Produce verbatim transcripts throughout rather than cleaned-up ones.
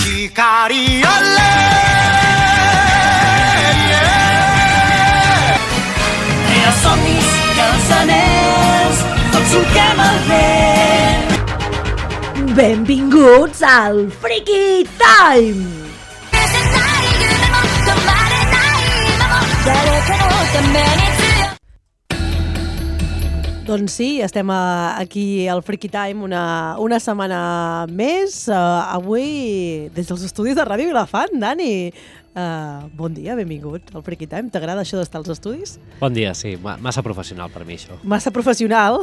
光あれEls somnis i els anells, tots ho que malbé. Benvinguts al Freaky Time! Doncs sí, estem aquí al Freaky Time una, una setmana més. Uh, avui, des dels estudis de Ràdio Vilafant, Dani. Uh, bon dia, benvingut al Freaky Time. T'agrada això d'estar als estudis? Bon dia, sí. Massa professional per mi, això. Massa professional,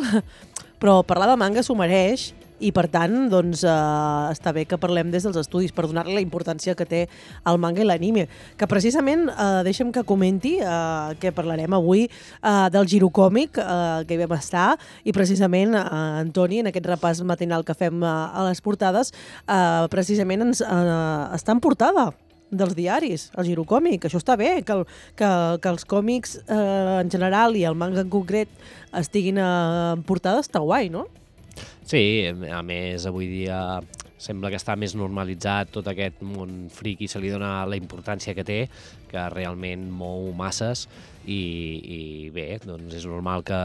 però parlar de manga s'ho mereix. I, per tant, doncs, eh, està bé que parlem des dels estudis per donar-li la importància que té el manga i l'anime. Que, precisament, eh, deixa'm que comenti eh, que parlarem avui eh, del Girocòmic, eh, que hi vam estar, i, precisament, eh, Antoni, en aquest repàs matinal que fem eh, a les portades, eh, precisament ens, eh, està en portada dels diaris, el Girocòmic. Això està bé, que, el, que, que els còmics eh, en general i el manga en concret estiguin eh, en portada, està guai, no? Sí, a més, avui dia sembla que està més normalitzat tot aquest món friki, se li dona la importància que té, que realment mou masses i, i bé, doncs és normal que,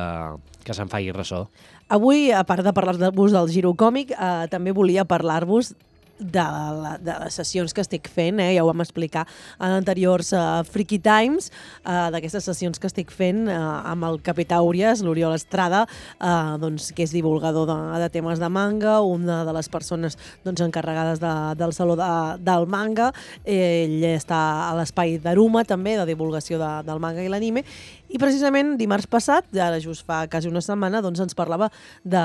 que se'n faci ressò. Avui, a part de parlar-vos del Girocòmic, eh, també volia parlar-vos de, la, de les sessions que estic fent, eh? Ja ho vam explicar en anteriors uh, Freaky Times, uh, d'aquestes sessions que estic fent uh, amb el Capità Urias, l'Oriol Estrada, uh, doncs, que és divulgador de, de temes de manga, una de les persones doncs, encarregades de, del Saló de, del Manga. Ell està a l'espai d'Aruma, també, de divulgació de, del manga i l'anime, i precisament dimarts passat, ara just fa quasi una setmana, doncs ens parlava de,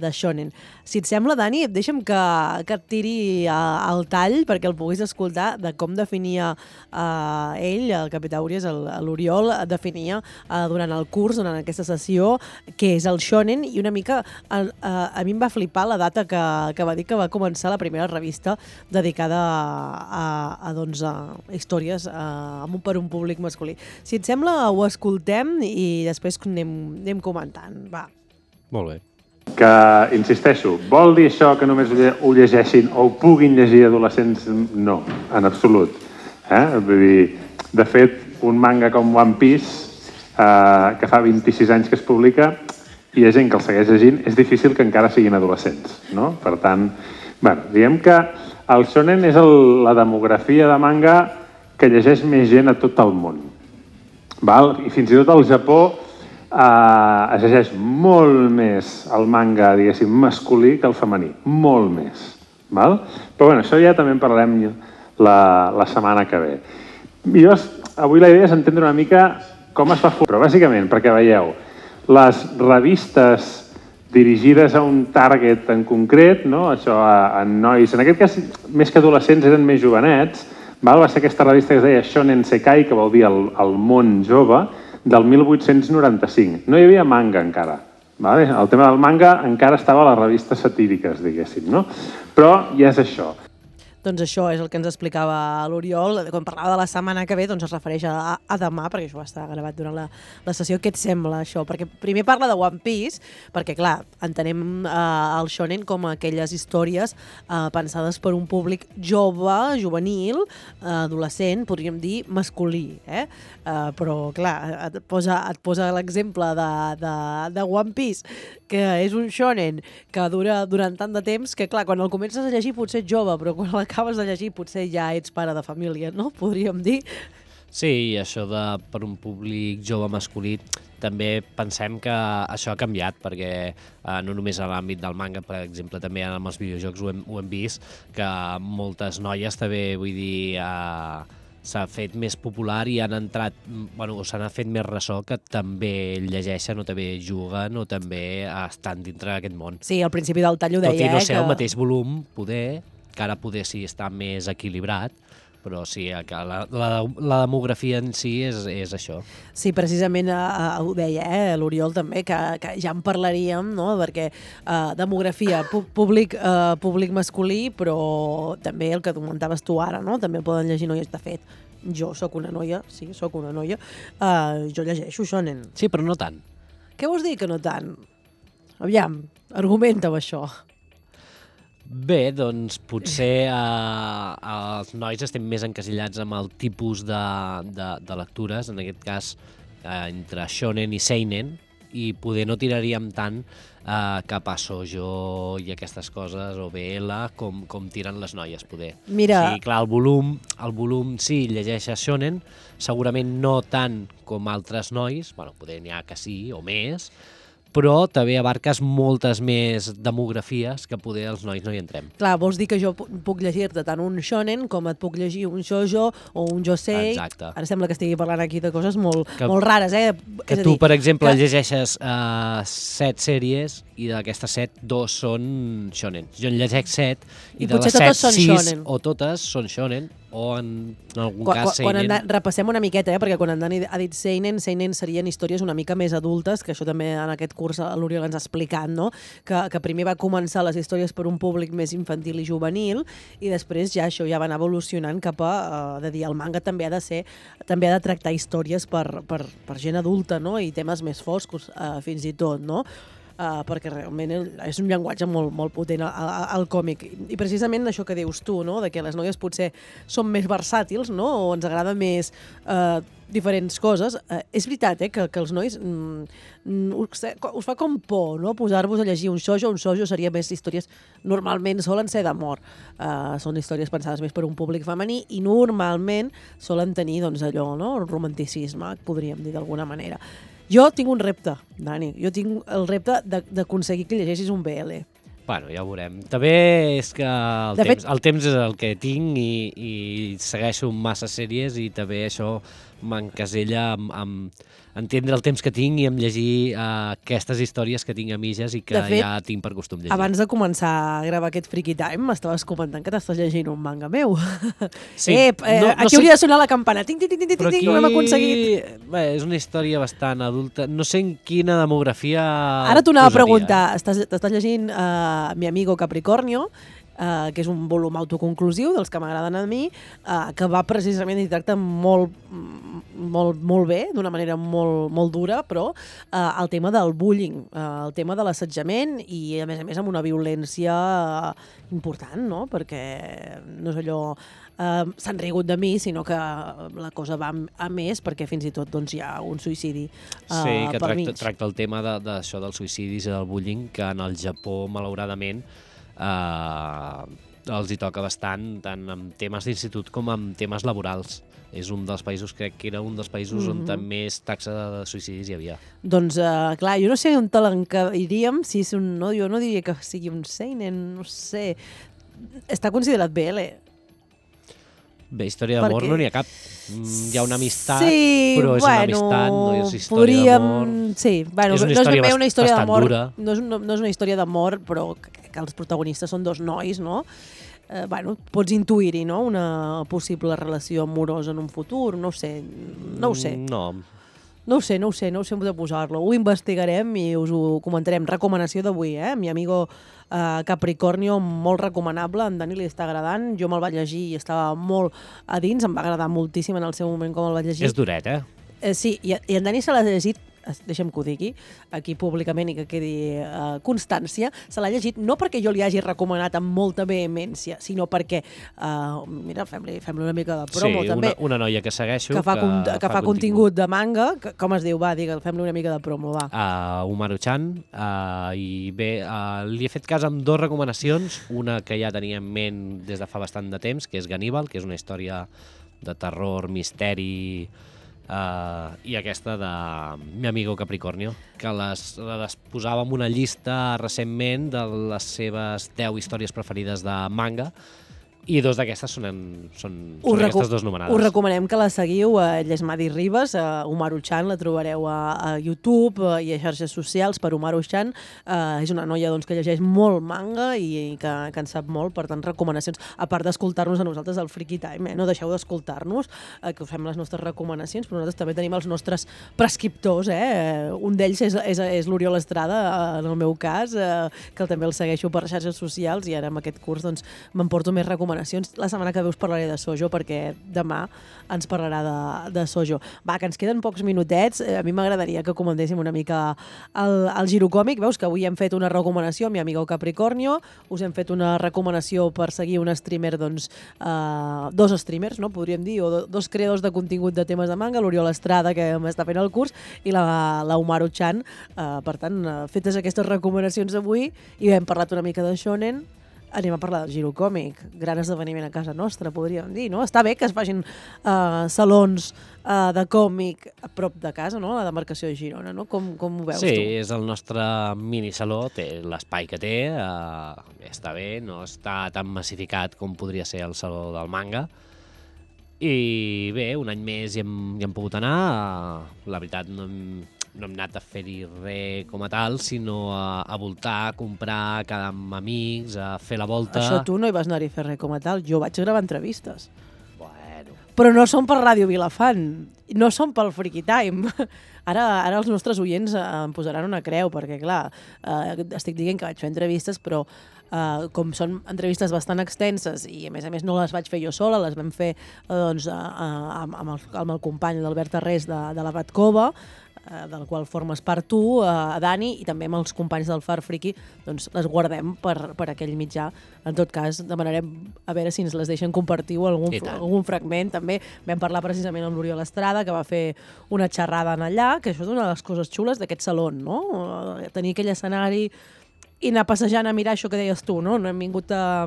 de shonen. Si et sembla, Dani, deixa'm que, que et tiri al tall perquè el puguis escoltar de com definia uh, ell, el Capità Urias, l'Oriol, definia uh, durant el curs, durant aquesta sessió, què és el shonen, i una mica uh, uh, a mi em va flipar la data que, que va dir que va començar la primera revista dedicada a, a, a, doncs, a històries uh, per un públic masculí. Si et sembla, ho escoltem i després anem, anem comentant. Va. Molt bé. Que, insisteixo, vol dir això que només ho llegeixin o ho puguin llegir adolescents? No, en absolut. Eh? Vull dir, de fet, un manga com One Piece, eh, que fa vint-i-sis anys que es publica, i hi ha gent que el segueix llegint, és difícil que encara siguin adolescents, no? Per tant, bueno, diguem que el shonen és el, la demografia de manga que llegeix més gent a tot el món. Val? I fins i tot al Japó Uh, es llegeix molt més el manga, diguéssim, masculí que el femení. Molt més. Val? Però bueno, això ja també en parlarem la, la setmana que ve. I jo, avui la idea és entendre una mica com es fa... Però bàsicament, perquè veieu, les revistes dirigides a un target en concret, no? Això a, a nois, en aquest cas, més que adolescents, eren més jovenets. Val? Va ser aquesta revista que es deia Shonen Sekai, que vol dir el, el món jove, del mil vuit-cents noranta-cinc. No hi havia manga encara. Vale? El tema del manga encara estava a les revistes satíriques, diguéssim, no? Però ja és això. Doncs això és el que ens explicava l'Oriol. Quan parlava de la setmana que ve, doncs es refereix a, a demà, perquè això va estar gravat durant la, la sessió. Què et sembla, això? Perquè primer parla de One Piece, perquè, clar, entenem eh, el shonen com aquelles històries eh, pensades per un públic jove, juvenil, eh, adolescent, podríem dir masculí, eh? Eh, però, clar, et posa, et posa l'exemple de, de, de One Piece, que és un shonen que dura durant tant de temps que, clar, quan el comences a llegir potser ets jove, però quan l'acabes de llegir potser ja ets pare de família, no? Podríem dir. Sí, i això de per un públic jove masculí també pensem que això ha canviat, perquè eh, no només a l'àmbit del manga, per exemple, també amb els videojocs ho hem, ho hem vist, que moltes noies també, vull dir, eh, s'ha fet més popular i han entrat, bueno, s'han fet més ressò que també llegeixen o també juguen o també estan dintre d'aquest món. Sí, al principi del tall ho deia, Tot i no eh, ser que... el mateix volum, poder, que ara poder sí està més equilibrat, però sí, que la, la, la demografia en si és, és això. Sí, precisament eh, ho deia eh, l'Oriol també, que, que ja en parlaríem, no? Perquè eh, demografia, pu públic, eh, públic masculí, però també el que comentaves tu ara, no? També el poden llegir noies. De fet, jo sóc una noia, sí, sóc una noia, eh, jo llegeixo shonen. Sí, però no tant. Què vols dir que no tant? Aviam, argumenta-ho això. Bé, doncs potser eh, els nois estem més encasillats amb el tipus de, de, de lectures, en aquest cas eh, entre shonen i seinen, i poder no tiraríem tant eh, cap a shoujo i aquestes coses, o B L, com, com tiren les noies, poder. Mira... Sí, clar, el volum, el volum sí, llegeixes shonen, segurament no tant com altres nois, bueno, poder n'hi ha que sí, o més, però també abarques moltes més demografies que poder els nois no hi entrem. Clar, vols dir que jo puc llegir-te tant un shonen com et puc llegir un shoujo o un josei. Exacte. Ara sembla que estigui parlant aquí de coses molt, que, molt rares, eh? Que És a tu, dir, per exemple, que... llegeixes uh, set sèries i d'aquestes set, dos són shonen. Jo en llegeix set i, I de les potser set, totes són sis shonen. o totes són shonen o en, en algun Quan, cas quan seinen. en, repassem una miqueta, eh? Perquè quan en Dani ha dit seinen, seinen serien històries una mica més adultes, que això també en aquest curs l'Oriol ens ha explicat, no? Que, que primer va començar les històries per un públic més infantil i juvenil i després ja això ja va anar evolucionant cap a, uh, de dir, el manga també ha de ser, també ha de tractar històries per, per, per gent adulta, no? I temes més foscos, uh, fins i tot, no? Uh, perquè realment és un llenguatge molt, molt potent al, al còmic. I precisament això que dius tu, no? De que les noies potser són més versàtils, no? O ens agrada més uh, diferents coses. Uh, és veritat, eh? Que, que els nois mm, us, us fa com por, no? Posar-vos a llegir un shoujo. Un shoujo seria més històries, normalment solen ser d'amor. Uh, són històries pensades més per un públic femení i normalment solen tenir, doncs, allò, no? El romanticisme, podríem dir d'alguna manera. Jo tinc un repte, Dani. Jo tinc el repte d'aconseguir que llegeixis un B L. Bueno, ja ho veurem. També és que el, De temps, fet- el temps és el que tinc i, i segueixo massa sèries i també això m'encasella amb, amb entendre el temps que tinc i amb llegir uh, aquestes històries que tinc a mitges i que De fet, ja tinc per costum llegir. Abans de començar a gravar aquest Freaky Time, m'estaves comentant que t'estàs llegint un manga meu. Sí, eh, eh, no- no aquí sé- hauria de sonar la campana. Ting, ting, ting, ting, Però ting, aquí ho hem aconseguit. Bé, és una història bastant adulta. No sé en quina demografia Ara t'ho anava a posaria, preguntar. Estàs, t'estàs llegint uh, Mi amigo Capricornio, Uh, que és un volum autoconclusiu dels que m'agraden a mi, uh, que va precisament i tracta molt, molt, molt bé, d'una manera molt, molt dura, però uh, el tema del bullying, uh, el tema de l'assetjament i, a més a més, amb una violència uh, important, no? Perquè no és allò... Uh, s'han rigut de mi, sinó que la cosa va a més, perquè fins i tot doncs, hi ha un suïcidi uh, Sí, que per tracta, mig. tracta el tema de- d'això de, dels suïcidis i del bullying, que en el Japó, malauradament, eh, els hi toca bastant, tant amb temes d'institut com amb temes laborals. És un dels països, crec que era un dels països Mhm. on més taxa de suïcidis hi havia. Doncs, uh, clar, jo no sé on te l'encadiríem, si és un... No, jo no diria que sigui un seinen, no sé... Està considerat B L. Bé, història d'amor Perquè- no n'hi ha cap. Mm, Hi ha una amistat, sí, però és bueno, una amistat, no és història podríem... d'amor. Sí, bueno, És una no és història ben bé una bast- història bastant d'amor. dura. No és, no, no és una història d'amor, però que, que els protagonistes són dos nois, no? Eh, bueno, pots intuir-hi, no? Una possible relació amorosa en un futur, no ho sé, no ho sé. Mm, No, No ho sé, no ho sé, no ho sé de posar-lo. Ho investigarem i us ho comentarem. Recomanació d'avui, eh? Mi amigo uh, Capricornio, molt recomanable. A en Dani li està agradant. Jo me'l vaig llegir i estava molt a dins. Em va agradar moltíssim en el seu moment com el vaig llegir. és duret, eh? Eh, sí, i, i en Dani se l'ha llegit, es- deixem que ho digui, aquí públicament i que quedi uh, constància, se l'ha llegit no perquè jo li hagi recomanat amb molta vehemència, sinó perquè, uh, mira, fem-li fem una mica de promo sí, també, una, una noia que segueixo, que fa, con que fa contingut de manga, que, com es diu, va, digue, fem-li una mica de promo, va. a Umaru-chan, uh, i bé, uh, li he fet cas amb dues recomanacions, una que ja tenia en ment des de fa bastant de temps, que és Ganíbal, que és una història de terror, misteri, uh, i aquesta de Mi amigo Capricornio, que les, les posava en una llista recentment de les seves deu històries preferides de manga, i dos d'aquestes són, en, són, Us són reco- aquestes dues nomenades. Us recomanem que la seguiu a Llesmadi Ribas, a Umaru-chan, la trobareu a, a YouTube eh, i a xarxes socials per Umaru-chan. Uh, és una noia doncs, que llegeix molt manga i, i que, que en sap molt, per tant, recomanacions. A part d'escoltar-nos a nosaltres al Freaky Time, eh? No deixeu d'escoltar-nos, eh, que us fem les nostres recomanacions, però nosaltres també tenim els nostres prescriptors. Eh? Un d'ells és, és, és l'Oriol Estrada, eh, en el meu cas, eh, que també el segueixo per xarxes socials i ara amb aquest curs doncs, m'emporto més recomanacions recomanacions. La setmana que ve us parlaré de Sojo, perquè demà ens parlarà de, de Sojo. Va, que ens queden pocs minutets. A mi m'agradaria que comentéssim una mica el, el girocòmic. Veus que avui hem fet una recomanació amb mi amigo Capricornio, us hem fet una recomanació per seguir un streamer, doncs, eh, dos streamers, no? Podríem dir, o do, dos creadors de contingut de temes de manga, l'Oriol Estrada, que m'està fent el curs, i la, la Umaru Chan. Eh, per tant, fetes aquestes recomanacions avui, i hem parlat una mica de shonen, anem a parlar del girocòmic, gran esdeveniment a casa nostra, podríem dir, no? Està bé que es facin uh, salons uh, de còmic a prop de casa, no? La demarcació de Girona, no? Com, com ho veus sí, tu? Sí, és el nostre minisaló, té l'espai que té, uh, està bé, no està tan massificat com podria ser el saló del manga, i bé, un any més hi hem, hi hem pogut anar, uh, la veritat no hem... no hem anat a fer-hi res com a tal, sinó a, a voltar, a comprar, a quedar amb amics, a fer la volta. Això tu no hi vas anar-hi a fer res com a tal. Jo vaig gravar entrevistes. Bueno. Però no són per Ràdio Vilafant, no són pel Freaky Time. Ara, ara els nostres oients em posaran una creu, perquè clar, eh, estic dient que vaig fer entrevistes, però eh, com són entrevistes bastant extenses i a més a més no les vaig fer jo sola, les vam fer eh, doncs, eh, amb, amb, el, amb el company l'Albert Arrés de, de la Batcova, del qual formes part tu, a Dani, i també amb els companys del Far Friki, doncs les guardem per, per aquell mitjà. En tot cas, demanarem a veure si ens les deixen compartir o algun, algun fragment. També vam parlar precisament amb l'Oriol Estrada, que va fer una xerrada en allà, que això és una de les coses xules d'aquest saló, no? Tenir aquell escenari i anar passejant a mirar això que deies tu, no? No hem vingut a...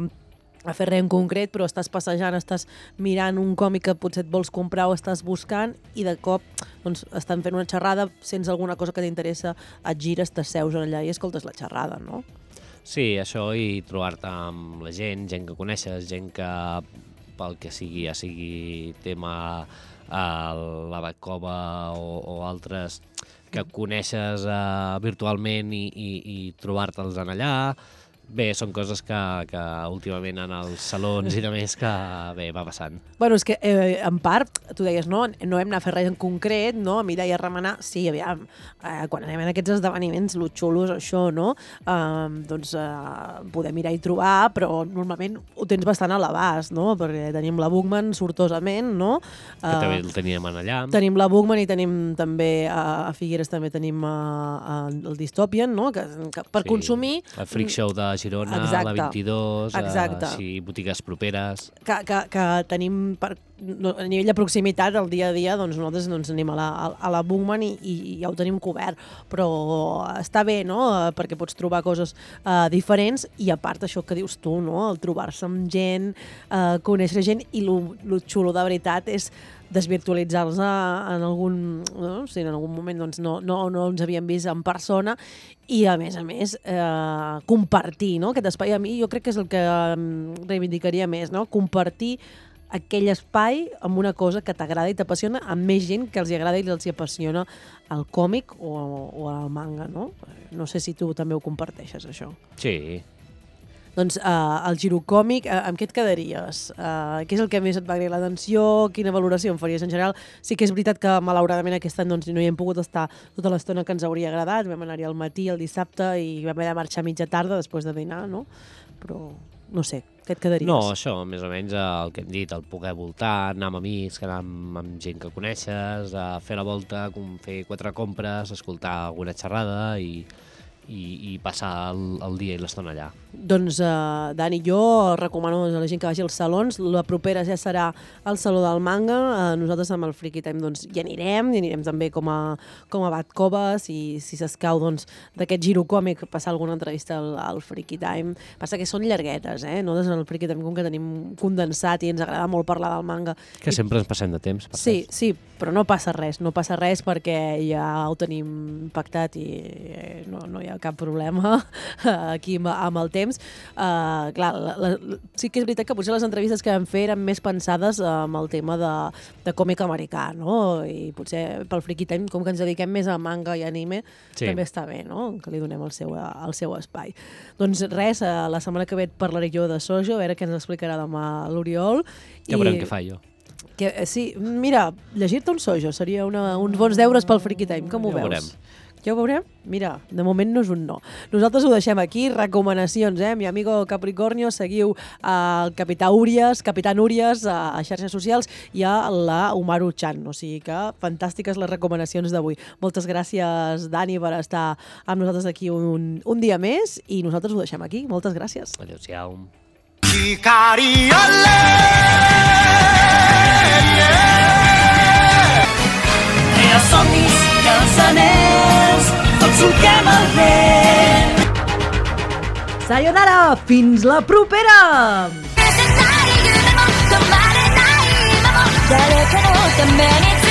a fer res en concret, però estàs passejant, estàs mirant un còmic que potser et vols comprar o estàs buscant i de cop doncs, estan fent una xerrada, sents alguna cosa que t'interessa, et gires, t'asseus allà i escoltes la xerrada, no? Sí, això, i trobar-te amb la gent, gent que coneixes, gent que pel que sigui, ja sigui tema a la Batcova o, o altres que coneixes uh, virtualment i, i, i trobar-te'ls en allà. Bé, són coses que, que últimament en els salons i de més que bé, va passant. Bueno, és que eh, en part, tu deies, no, no hem anat a fer res en concret, no? A mirar i a remenar, sí, aviam, eh, quan anem a aquests esdeveniments, lo xulo és això, no? Eh, doncs eh, podem mirar i trobar, però normalment ho tens bastant a l'abast, no? Perquè tenim la Bookman sortosament, no? Eh, que també el teníem allà. Tenim la Bookman i tenim també, a, a Figueres també tenim a, a, el Dystopian, no? Que, que per sí, consumir... El Freak Show de Girona, exacte, la vint-i-dos, uh, sí, botigues properes... Que, que, que tenim, per, no, a nivell de proximitat, el dia a dia, doncs nosaltres doncs, anem a la, a la Bookman i, i ja ho tenim cobert, però està bé, no?, perquè pots trobar coses uh, diferents i a part això que dius tu, no?, el trobar-se amb gent, uh, conèixer gent, i lo, lo xulo de veritat és desvirtualitzar-los en algun, no? Si en algun moment doncs, no, no, no ens havíem vist en persona i, a més a més, eh, compartir, no? Aquest espai. A mi jo crec que és el que reivindicaria més, no? Compartir aquell espai amb una cosa que t'agrada i t'apassiona amb més gent que els agrada i els apassiona el còmic o, o el manga, no? No sé si tu també ho comparteixes, això. Sí. Doncs uh, el girocòmic, uh, amb què et quedaries? Uh, què és el que més et va agradar l'atenció? Quina valoració en faries en general? Sí que és veritat que malauradament aquest any doncs, no hi hem pogut estar tota l'estona que ens hauria agradat. Vam anar-hi al matí, el dissabte, i vam haver de marxar a mitja tarda després de dinar, no? Però no sé, què et quedaries? No, això, més o menys el que hem dit, el poder voltar, anar amb amics, anar amb, amb gent que coneixes, a fer la volta, fer quatre compres, escoltar alguna xerrada i... I, i passar el, el dia i l'estona allà. Doncs, uh, Dani, jo recomano a la gent que vagi als salons. La propera ja serà el Saló del Manga. Uh, nosaltres amb el Freaky Time doncs, hi anirem, hi anirem també com a, com a Batcova, si, si s'escau doncs, d'aquest girocòmic passar alguna entrevista al, al Freaky Time. Passa que són llarguetes, eh? Nosaltres en el Freaky Time, com que tenim condensat i ens agrada molt parlar del manga... Que sempre ens passem de temps. Per sí, temps. sí, però no passa res, no passa res perquè ja ho tenim pactat i no, no hi ha cap problema aquí amb el temps. Uh, clar, la, la, sí que és veritat que potser les entrevistes que vam fer eren més pensades amb el tema de, de còmic americà, no? I potser pel Freaky Time, com que ens dediquem més a manga i anime, sí, també està bé, no?, que li donem el seu, el seu espai. Doncs res, la setmana que ve et parlaré jo de Sojo, a veure què ens explicarà demà l'Oriol. Ja veurem què fa jo. Que, sí, mira, llegir-te un Sojo seria una, uns bons deures pel Freaky Time, com ho ja veus? Veurem. Ja ho veurem? Mira, de moment no és un no. Nosaltres ho deixem aquí, recomanacions, eh? Mi amigo Capricornio, seguiu el Capità Úries, Capità Núries a, a xarxes socials i a la Umaru Chan, o sigui que fantàstiques les recomanacions d'avui. Moltes gràcies, Dani, per estar amb nosaltres aquí un, un dia més i nosaltres ho deixem aquí. Moltes gràcies. Adéu-siau. Els somnis i els anells, tots solquem el vent. Sayonara! Fins la propera! 誰かのために